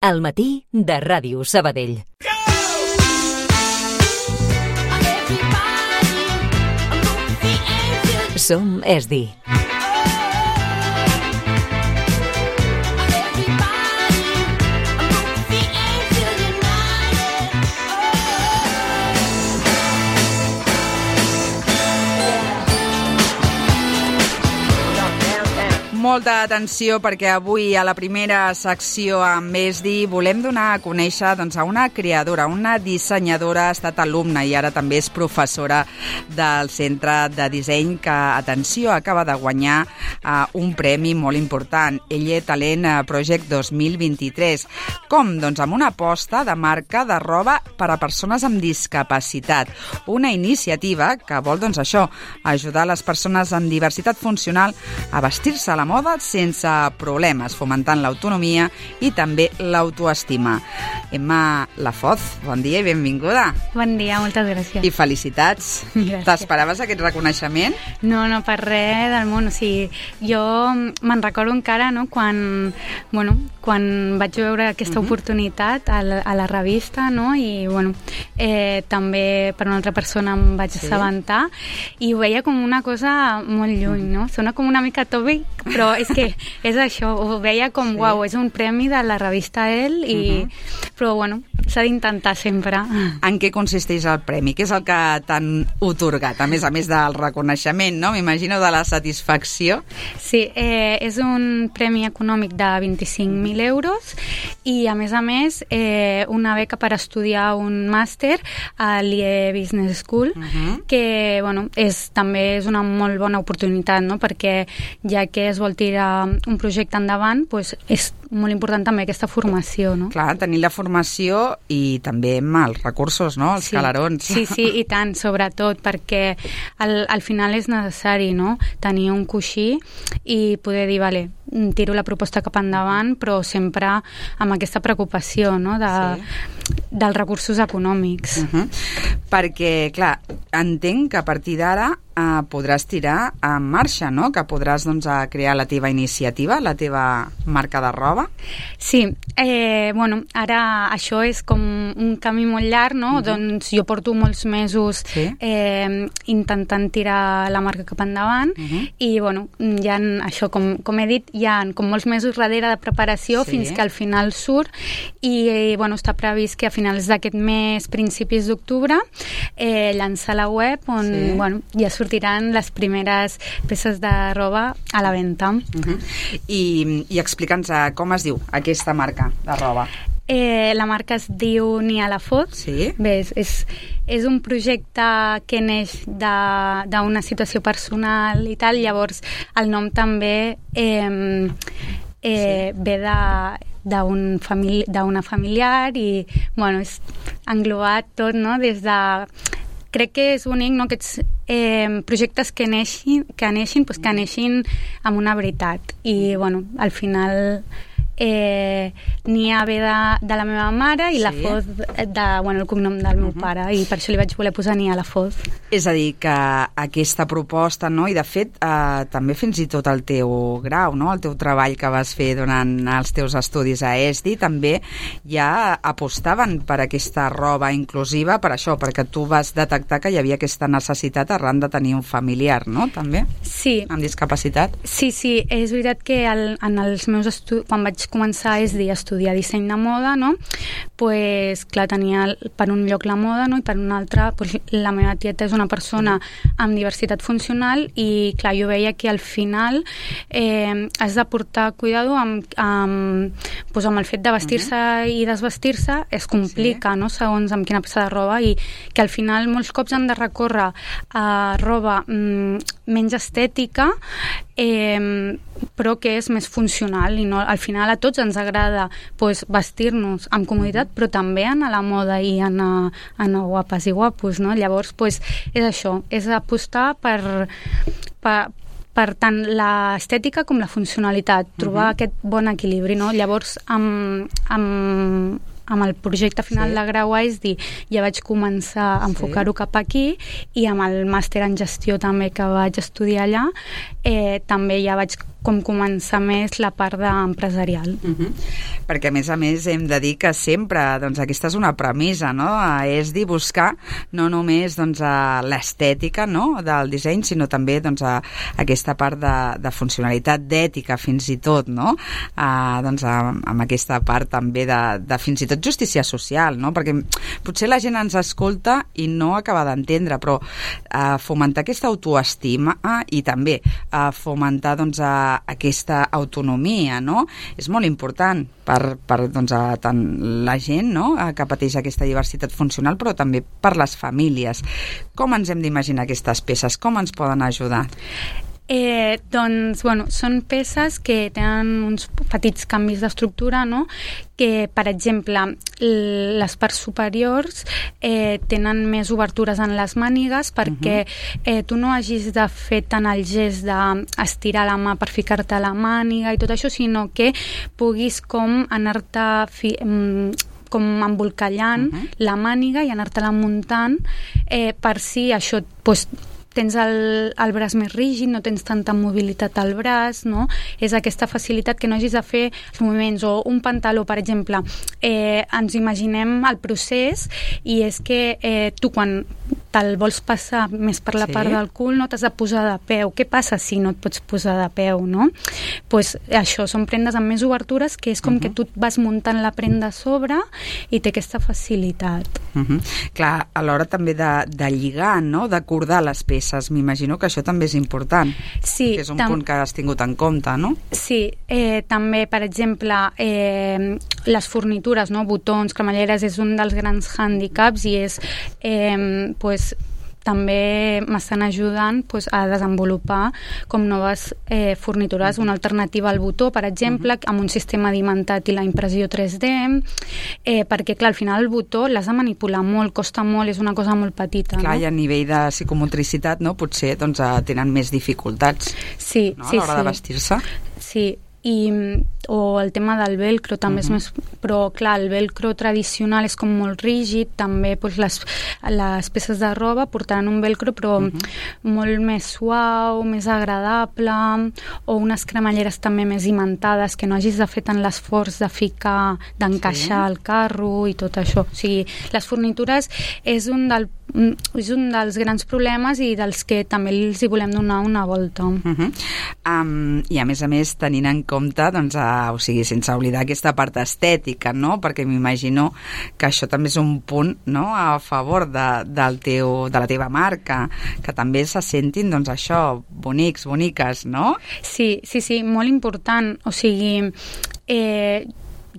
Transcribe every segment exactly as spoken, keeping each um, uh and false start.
al matí de Ràdio Sabadell. Som Esdi. Molta atenció perquè avui a la primera secció amb Esdi volem donar a conèixer doncs, a una creadora, una dissenyadora, ha estat alumna i ara també és professora del Centre de Disseny que, atenció, acaba de guanyar uh, un premi molt important, Elle Talent Project dos mil vint-i-tres. Com? Doncs amb una aposta de marca de roba per a persones amb discapacitat. Una iniciativa que vol, doncs això, ajudar les persones amb diversitat funcional a vestir-se a la moda sense problemes, fomentant l'autonomia i també l'autoestima. Emma Lafoz, bon dia i benvinguda. Bon dia, moltes gràcies. I felicitats. Gràcies. T'esperaves aquest reconeixement? No, no, per res del món. O sigui, jo me'n recordo encara, no?, quan, bueno, quan vaig veure aquesta uh-huh. oportunitat a la, a la revista, no?, i bueno, eh, també per una altra persona em vaig sí. assabentar i ho veia com una cosa molt lluny, no? Sona com una mica tòpic, però és que és això, ho veia com, sí. uau, és un premi de la revista Elle, i, uh-huh. però bueno, s'ha d'intentar sempre. En què consisteix el premi? Què és el que t'han otorgat? A més a més del reconeixement, no? M'imagino de la satisfacció. Sí, eh, és un premi econòmic de vint-i-cinc mil euros i a més a més eh, una beca per estudiar un màster a l'I E Business School, uh-huh. que bueno, és, també és una molt bona oportunitat, no? Perquè ja que es vol tirar un projecte endavant, doncs és molt important també aquesta formació, no? Clar, tenir la formació i també els recursos, no? Els sí. calarons. Sí, sí, i tant, sobretot, perquè al, al final és necessari, no?, tenir un coixí i poder dir, vale, tiro la proposta cap endavant, però sempre amb aquesta preocupació, no?, de, sí. dels recursos econòmics. Uh-huh. Perquè, clar, entenc que a partir d'ara eh, podràs tirar en marxa, no?, que podràs doncs, crear la teva iniciativa, la teva marca de roba. Sí, eh, bueno, ara això és com un camí molt llarg, no? Uh-huh. Doncs jo porto molts mesos sí. eh, intentant tirar la marca cap endavant uh-huh. i, bueno, hi ha això, com, com he dit, hi ha com molts mesos darrere de preparació sí. fins que al final surt i, eh, bueno, està previst que a finals d'aquest mes, principis d'octubre, eh, llançar la web on, sí. bueno, ja sortiran les primeres peces de roba a la venda. Uh-huh. I, i explica'ns com es diu aquesta marca de roba. Eh, la marca es diu Nia Lafoz. Sí. Bé, és, és, és un projecte que neix d'una situació personal i tal, llavors el nom també eh, eh, sí. ve de d'una famili familiar i, bueno, és englobat tot, no?, des de... Crec que és bonic, no?, aquests eh, projectes que neixin, que neixin, pues, que neixin amb una veritat. I, bueno, al final... Eh, Nia ve de, de la meva mare i sí. Lafoz de, bueno, el cognom del meu uh-huh. pare, i per això li vaig voler posar Nia Lafoz. És a dir, que aquesta proposta, no? I de fet eh, també fins i tot el teu grau, no? El teu treball que vas fer durant els teus estudis a Esdi, també ja apostaven per aquesta roba inclusiva, per això, perquè tu vas detectar que hi havia aquesta necessitat arran de tenir un familiar, no? També? Sí. Amb discapacitat? Sí, sí, és veritat que el, en els meus estudis, quan vaig començar a Esdi a estudiar disseny de moda, no? Pues, clar, tenia per un lloc la moda, no? I per un altre, pues, la meva tieta és una persona amb diversitat funcional i, clar, jo veia que al final eh, has de portar cuidado amb, amb, pues, amb el fet de vestir-se uh-huh. i desvestir-se, es complica, sí. no? Segons amb quina peça de roba, i que al final molts cops han de recórrer a roba mm, menys estètica, eh, però que és més funcional, i no, al final a tots ens agrada pues, vestir-nos amb comoditat, però també anar a la moda i anar, anar guapes i guapos, no? Llavors, pues, és això, és apostar per, per, per tant l'estètica com la funcionalitat, trobar uh-huh. aquest bon equilibri, no? Llavors, amb, amb amb el projecte final sí. de grau a E S D I ja vaig començar a enfocar-ho sí. cap aquí, i amb el màster en gestió també que vaig estudiar allà, eh, també ja vaig com començar més la part d'empresarial. Uh-huh. Perquè, a més a més, hem de dir que sempre, doncs, aquesta és una premissa, no?, a E S D I buscar no només, doncs, l'estètica, no?, del disseny, sinó també, doncs, a aquesta part de, de funcionalitat, d'ètica, fins i tot, no?, a, doncs, a, amb aquesta part també de, de fins i tot justícia social, no?, perquè potser la gent ens escolta i no acaba d'entendre, però a fomentar aquesta autoestima i també a fomentar, doncs, a aquesta autonomia, no?, és molt important per, per doncs, a, tant la gent, no?, que pateix aquesta diversitat funcional, però també per les famílies. Com ens hem d'imaginar aquestes peces? Com ens poden ajudar? Eh, doncs, bueno, són peces que tenen uns petits canvis d'estructura, no?, que, per exemple, les parts superiors eh, tenen més obertures en les mànigues perquè eh, tu no hagis de fer tant el gest d'estirar la mà per ficar-te a la màniga i tot això, sinó que puguis com anar-te fi, com embolcallant uh-huh. la màniga i anar-te-la muntant eh, per si això pues, tens el, el braç més rígid, no tens tanta mobilitat al braç, no? És aquesta facilitat que no hagis de fer els moviments. O un pantaló, per exemple, eh, ens imaginem el procés i és que eh, tu quan te'l vols passar més per la sí. part del cul no t'has de posar de peu. Què passa si no et pots posar de peu, no? Pues això, són prendes amb més obertures que és com uh-huh. que tu vas muntant la prenda a sobre i té aquesta facilitat. Uh-huh. Clar, a l'hora també de, de lligar, no?, d'acordar les peces. M'imagino que això també és important. Sí. Que és un tam- punt que has tingut en compte, no? Sí. Eh, també, per exemple, eh, les fornitures, no?, botons, cremalleres, és un dels grans hàndicaps i és, eh, pues, també m'estan ajudant pues, a desenvolupar com noves eh, fornitures, una alternativa al botó, per exemple, uh-huh. amb un sistema d'imantat i la impressió tres D, eh, perquè, clar, al final el botó l'has de manipular molt, costa molt, és una cosa molt petita. Clar, no? I a nivell de psicomotricitat, no?, potser doncs, tenen més dificultats sí, no? sí, a l'hora sí. de vestir-se. Sí, i, o el tema del velcro també uh-huh. és més... Però, clar, el velcro tradicional és com molt rígid, també doncs, les, les peces de roba portaran un velcro però uh-huh. molt més suau, més agradable, o unes cremalleres també més imantades, que no hagis de fer tant l'esforç de ficar, d'encaixar sí. el carro i tot això. O sigui, les fornitures és un, del, és un dels grans problemes i dels que també els hi volem donar una volta. Uh-huh. Um, I, a més a més, tenint en compte, doncs, a, o sigui, sense oblidar aquesta part estètica, no?, perquè m'imagino que això també és un punt, no?, a favor de, del teu, de la teva marca, que també se sentin, doncs, això, bonics, boniques, no? Sí, sí, sí, molt important. O sigui, eh,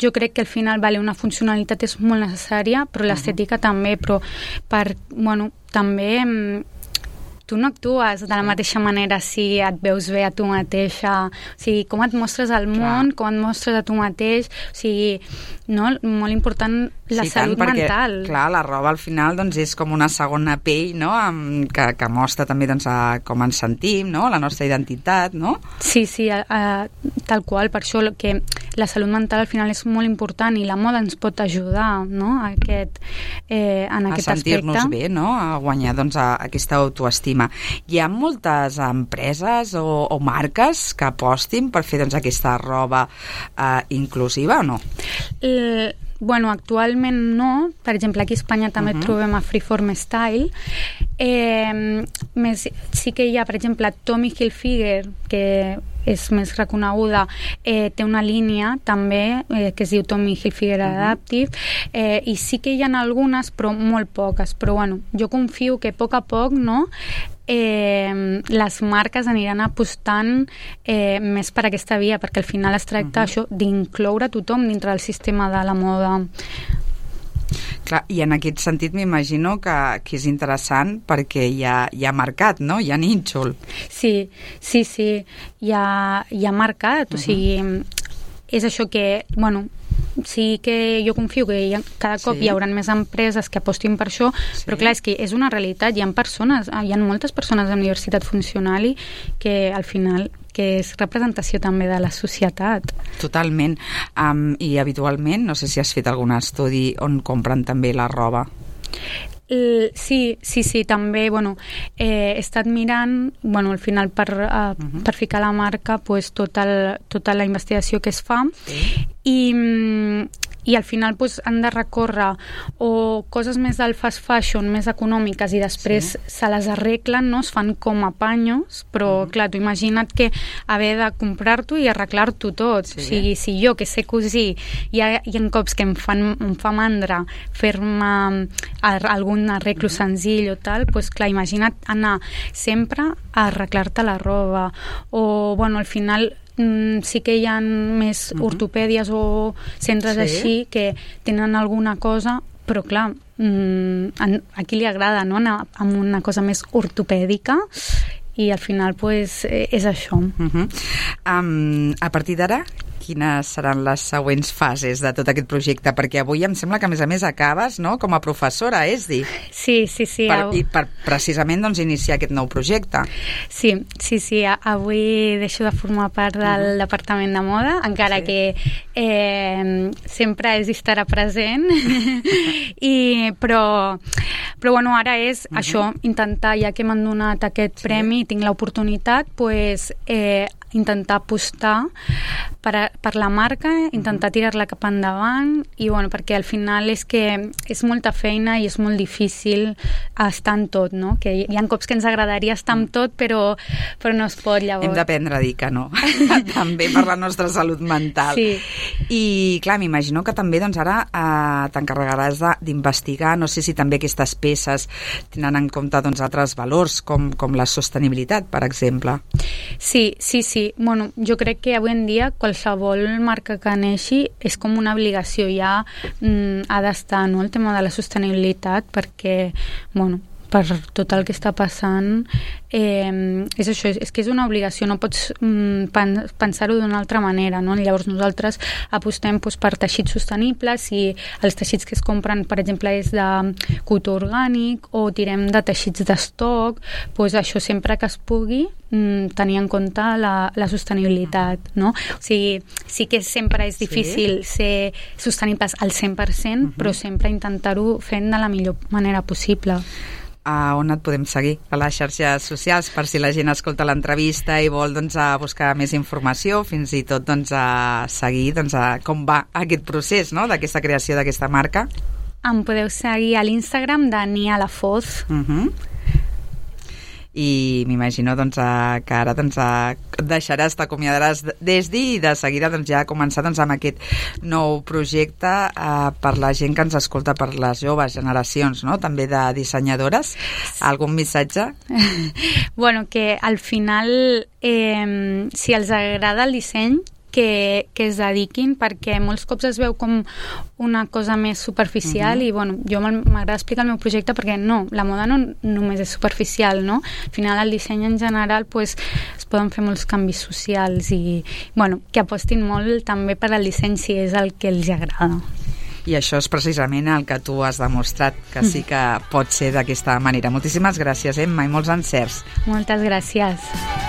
jo crec que al final vale, una funcionalitat és molt necessària, però l'estètica uh-huh. també, però per, bueno, també... tu no actues de la mateixa manera si et veus bé a tu mateixa, o sigui, com et mostres al món, clar. Com et mostres a tu mateix, o sigui, no? Molt important la sí, salut tant, perquè, mental. Clar, la roba al final doncs, és com una segona pell, no?, amb, que, que mostra també doncs, a com ens sentim, no?, la nostra identitat, no? Sí, sí, a, a, tal qual, per això que la salut mental al final és molt important i la moda ens pot ajudar, no?, a aquest, eh, en aquest aspecte. A sentir-nos bé, no?, a guanyar doncs, a, a aquesta autoestima. Hi ha moltes empreses o, o marques que apostin per fer doncs, aquesta roba eh, inclusiva o no? Eh, bueno, actualment no. Per exemple, aquí a Espanya també uh-huh. trobem a Freeform Style. Eh, més, sí que hi ha, per exemple, Tommy Hilfiger, que és més reconeguda, eh, té una línia també eh, que es diu Tommy Hilfiger uh-huh. Adaptive, eh, i sí que hi ha algunes, però molt poques. Però bueno, jo confio que a poc a poc, no?, eh, les marques aniran apostant eh, més per aquesta via, perquè al final es tracta uh-huh. això d'incloure tothom dintre del sistema de la moda. Clar, i en aquest sentit m'imagino que, que és interessant perquè hi ha, hi ha mercat, no? Hi ha nínxol. Sí, sí, sí, hi ha, hi ha mercat, uh-huh. o sigui, és això que, bueno, sí que jo confio que hi ha, cada cop sí. hi haurà més empreses que apostin per això, sí. però clar, és que és una realitat, hi ha persones, hi ha moltes persones de la universitat funcional que al final que és representació també de la societat. Totalment. Um, I habitualment, no sé si has fet algun estudi on compren també la roba. Uh, sí, sí, sí, també, bueno, eh, he estat mirant, bueno, al final per, uh, uh-huh. per ficar la marca, pues, tota, el, tota la investigació que es fa, sí. i, i al final pues, han de recórrer o coses més del fast fashion, més econòmiques, i després sí. se les arreglen, no? Es fan com a panyos, però uh-huh. clar, tu imagina't que haver de comprar-t'ho i arreglar-t'ho tot. Sí. O sigui, si jo, que sé cosir, hi ha, hi ha cops que em, fan, em fa mandra fer-me algun arreglo uh-huh. senzill o tal, pues, clar, imagina't anar sempre a arreglar-te la roba. O, bueno, al final Mm, sí que hi ha més uh-huh. ortopèdies o centres sí. així que tenen alguna cosa, però clar, mm, a qui li agrada, no? Anar amb una cosa més ortopèdica, i al final pues, és això. Uh-huh. Um, a partir d'ara, quines seran les següents fases de tot aquest projecte? Perquè avui em sembla que, a més a més, acabes, no?, com a professora, és dir? Sí, sí, sí. Per, I per precisament doncs, iniciar aquest nou projecte. Sí, sí, sí. Avui deixo de formar part del uh-huh. departament de moda, encara sí. que eh, sempre és estarà present. I, però, però bueno, ara és uh-huh. això, intentar, ja que m'han donat aquest sí. premi i tinc l'oportunitat, pues, eh, intentar apostar per, a, per la marca, intentar tirar-la cap endavant, i bueno, perquè al final és que és molta feina i és molt difícil estar en tot, no? Que hi ha cops que ens agradaria estar en tot, però, però no es pot, llavors. Hem d'aprendre a dir que no, també per la nostra salut mental. Sí. I clar, m'imagino que també doncs, ara eh, t'encarregaràs d'investigar, no sé si també aquestes peces tenen en compte doncs, altres valors, com, com la sostenibilitat, per exemple. Sí, sí, sí. Bueno, jo crec que avui en dia qualsevol marca que neixi és com una obligació, ja mm, ha d'estar, no?, el tema de la sostenibilitat, perquè, bueno, per tot el que està passant, eh, és això, és, és que és una obligació, no pots mm, pen, pensar-ho d'una altra manera, no? Llavors nosaltres apostem doncs, per teixits sostenibles, i els teixits que es compren, per exemple, és de cotó orgànic, o tirem de teixits d'estoc, doncs això sempre que es pugui mm, tenir en compte la, la sostenibilitat, no? O sigui, sí que sempre és difícil sí. ser sostenibles al cent per cent, uh-huh. però sempre intentar-ho fent de la millor manera possible. A on et podem seguir? A les xarxes socials, per si la gent escolta l'entrevista i vol doncs, a buscar més informació, fins i tot doncs, a seguir doncs, a com va aquest procés, no?, d'aquesta creació d'aquesta marca. Em podeu seguir a l'Instagram de Nia Lafoz. Uh-huh. I m'imagino doncs, que ara doncs, deixaràs, t'acomiadaràs d'Esdi, i de seguida doncs, ja començar doncs, amb aquest nou projecte eh, per la gent que ens escolta, per les joves generacions, no?, també de dissenyadores. Algun missatge? Bueno, que al final, eh, si els agrada el disseny, que, que es dediquin, perquè molts cops es veu com una cosa més superficial, uh-huh. i bueno, jo m'agrada explicar el meu projecte perquè no, la moda no només és superficial, no? Al final el disseny en general pues, es poden fer molts canvis socials, i bueno, que apostin molt també per al disseny si és el que els agrada. I això és precisament el que tu has demostrat, que sí que pot ser d'aquesta manera. Moltíssimes gràcies, Emma, i molts encerts. Moltes gràcies.